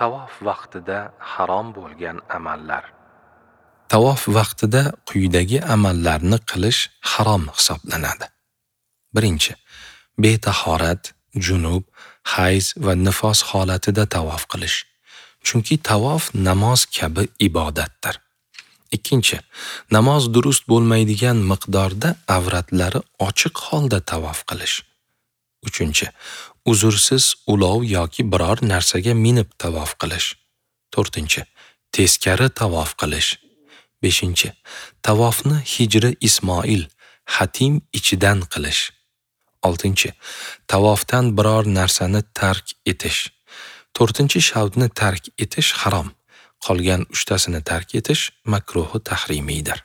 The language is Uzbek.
Tavof vaqtida harom bo'lgan amallar. Tavof vaqtida quyidagi amallarni qilish harom hisoblanadi. Birinchi, betahorat, junub, hayz va nifos holatida tavof qilish. Chunki tavof namoz kabi ibodatdir. Ikkinchi, namoz durust bo'lmaydigan miqdorda avratlari ochiq holda tavof qilish. Uchinchi, uzrsiz ulov yoki biror narsaga minib tavof qilish. To'rtinchi, teskari tavof qilish. Beshinchi, tavofni Hijri Ismoil, Hatim ichidan qilish. Oltinchi, tavofdan biror narsani tark etish. To'rtinchi shavtni tark etish harom. Qolgan uchtasini tark etish makruhi tahrimiydir.